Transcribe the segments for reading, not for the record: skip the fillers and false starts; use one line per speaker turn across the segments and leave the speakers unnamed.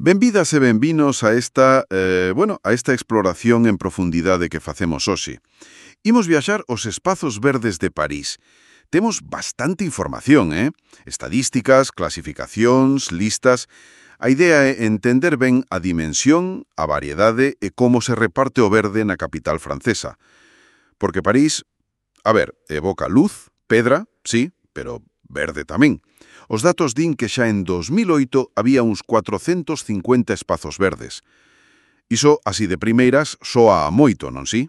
Benvidas e benvinos a esta, a esta exploración en profundidade que facemos hoxe. Imos viaxar aos espazos verdes de París. Temos bastante información, Estadísticas, clasificacións, listas. A idea é entender ben a dimensión, a variedade e como se reparte o verde na capital francesa. Porque París, evoca luz, pedra, sí, pero verde tamén. Os datos din que xa en 2008 había uns 450 espazos verdes. Iso, así de primeiras, soa a moito, non si?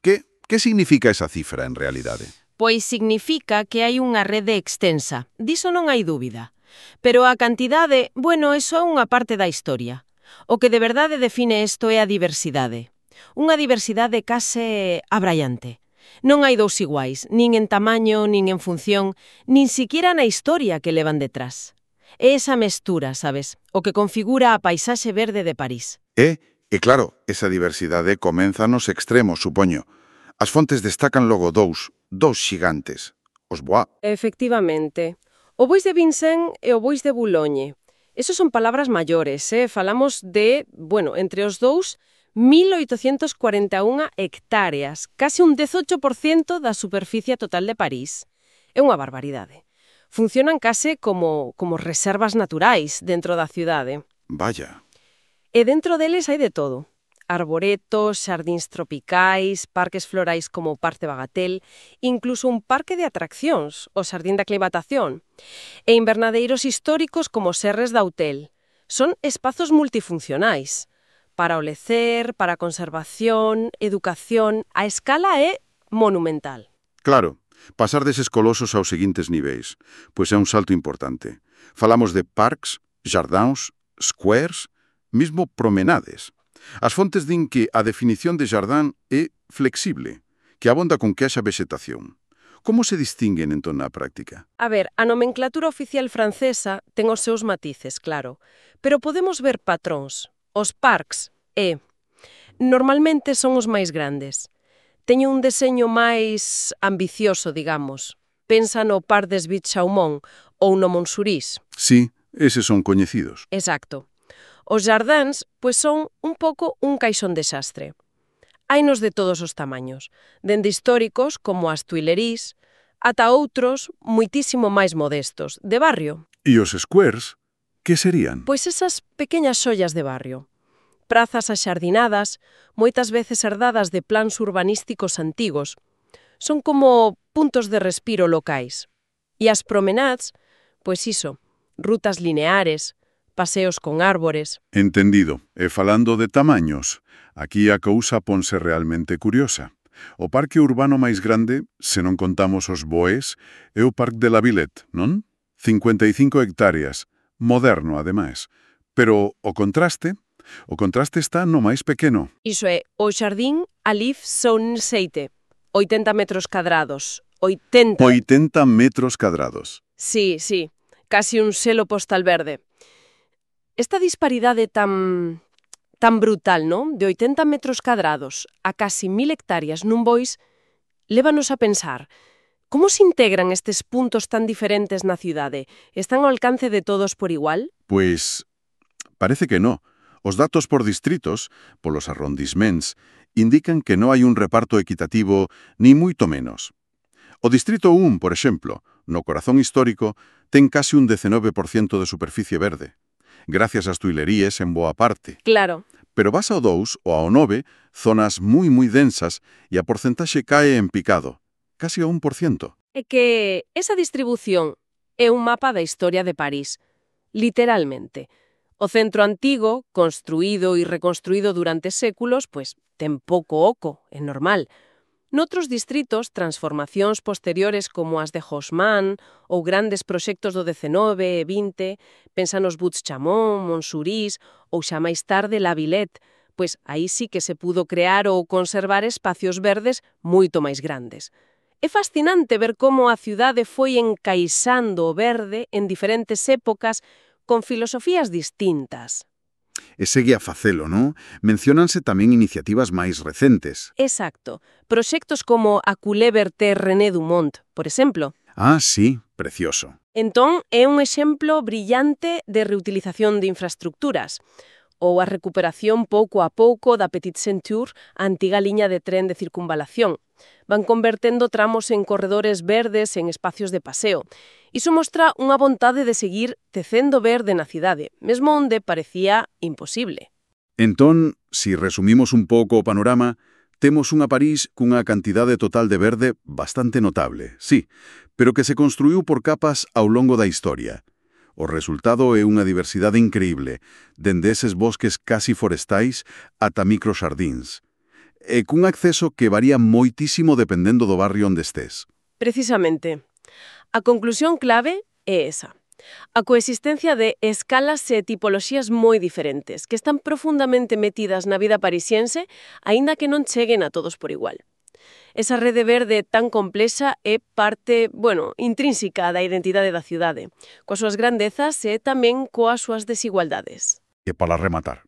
Que significa esa cifra en realidade?
Pois significa que hai unha rede extensa, diso non hai dúbida. Pero a cantidade, eso é unha parte da historia. O que de verdade define isto é a diversidade. Unha diversidade case abraiante. Non hai dous iguais, nin en tamaño, nin en función, nin siquiera na historia que levan detrás. É esa mestura, sabes, o que configura a paisaxe verde de París.
E claro, esa diversidade comeza nos extremos, supoño. As fontes destacan logo dous xigantes, os Bois.
Efectivamente. O Bois de Vincennes e o Bois de Boulogne. Esos son palabras maiores, Falamos de, entre os dous, 1.841 hectáreas, case un 18% da superficie total de París. É unha barbaridade. Funcionan case como reservas naturais dentro da cidade.
Vaya.
E dentro deles hai de todo. Arboretos, xardíns tropicais, parques florais como o Parque Bagatelle, incluso un parque de atraccións, o Xardín da Aclimatación, e invernadeiros históricos como Serres d'Autel. Son espazos multifuncionais. Para o lecer, para a conservación, educación, a escala é monumental.
Claro, pasar deses colosos aos seguintes niveis, pois é un salto importante. Falamos de parques, jardins, squares, mismo promenades. As fontes din que a definición de jardín é flexible, que abonda con que haxa vexetación. Como se distinguen entón na práctica?
A nomenclatura oficial francesa ten os seus matices, claro, pero podemos ver patróns. Os parques, normalmente son os máis grandes. Teñen un deseño máis ambicioso, digamos. Pensa no Parc des Buttes-Chaumont ou no Montsouris.
Sí, eses son coñecidos.
Exacto. Os jardins, son un pouco un caixón desastre. Hainos de todos os tamaños, dende históricos como as Tuileries, ata outros muitísimo máis modestos, de barrio.
E os squares, que serían?
Pois esas pequeñas xollas de barrio. Prazas axardinadas, moitas veces herdadas de plans urbanísticos antigos. Son como puntos de respiro locais. E as promenades, rutas lineares, paseos con árbores.
Entendido. E falando de tamaños, aquí a cousa ponse realmente curiosa. O parque urbano máis grande, se non contamos os Bois, é o Parc de la Villette, non? 55 hectáreas, moderno, ademais. Pero o contraste está no máis pequeno.
Iso é, o Xardín Alif Sounseite, 80 metros cadrados. 80
metros cadrados.
Sí, casi un selo postal verde. Esta disparidade tan brutal, non? De 80 metros cadrados a casi 1.000 hectáreas nun Bois, lévanos a pensar, como se integran estes puntos tan diferentes na cidade? Están ao alcance de todos por igual?
Pois, parece que no. Os datos por distritos, polos arrondissements, indican que non hai un reparto equitativo ni moito menos. O distrito 1, por exemplo, no corazón histórico, ten casi un 19% de superficie verde, gracias ás Tuileries en boa parte.
Claro.
Pero vas ao 2 ou ao 9, zonas moi densas e a porcentaxe cae en picado, casi ao 1%.
É que esa distribución é un mapa da historia de París, literalmente. O centro antigo, construído e reconstruído durante séculos, ten pouco oco, é normal. Noutros distritos, transformacións posteriores como as de Haussmann ou grandes proxectos do XIX e XX, pensa nos Buttes-Chaumont, Montsouris ou xa máis tarde La Villette, aí sí que se pudo crear ou conservar espacios verdes moito máis grandes. É fascinante ver como a cidade foi encaixando o verde en diferentes épocas con filosofías distintas.
E segue a facelo, non? Menciónanse tamén iniciativas máis recentes.
Exacto. Proxectos como a Culé Berté René Dumont, por exemplo.
Ah, sí, precioso.
Entón, é un exemplo brillante de reutilización de infraestructuras, ou a recuperación pouco a pouco da Petite Ceinture, a antiga liña de tren de circunvalación. Van convertendo tramos en corredores verdes en espacios de paseo. Iso mostra unha vontade de seguir tecendo verde na cidade, mesmo onde parecía imposible.
Entón, si resumimos un pouco o panorama, temos unha París cunha cantidade total de verde bastante notable, sí, pero que se construiu por capas ao longo da historia. O resultado é unha diversidade increíble, dende eses bosques casi forestais ata microxardíns, e cun acceso que varía moitísimo dependendo do barrio onde estés.
Precisamente. A conclusión clave é esa. A coexistencia de escalas e tipoloxías moi diferentes, que están profundamente metidas na vida parisiense, aínda que non cheguen a todos por igual. Esa rede verde tan complexa é parte, intrínseca da identidade da cidade, coas súas grandezas e tamén coas súas desigualdades.
E para rematar,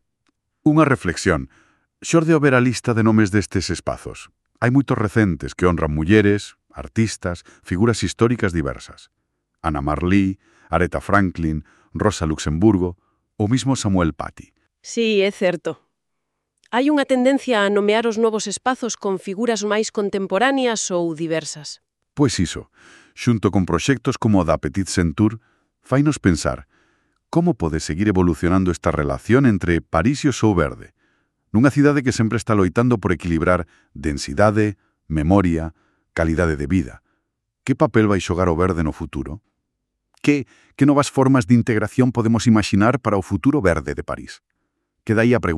unha reflexión. Xorde o ver a lista de nomes destes espazos. Hai moitos recentes que honran mulleres, artistas, figuras históricas diversas. Anna Marlí, Aretha Franklin, Rosa Luxemburgo, ou mismo Samuel Paty.
Sí, é certo. Hai unha tendencia a nomear os novos espazos con figuras máis contemporáneas ou diversas.
Pois iso, xunto con proxectos como o da Petite Ceinture, fainos pensar como pode seguir evolucionando esta relación entre París e o seu verde, nunha cidade que sempre está loitando por equilibrar densidade, memoria, calidade de vida. Que papel vai xogar o verde no futuro? Que novas formas de integración podemos imaginar para o futuro verde de París? Queda aí a pregunta.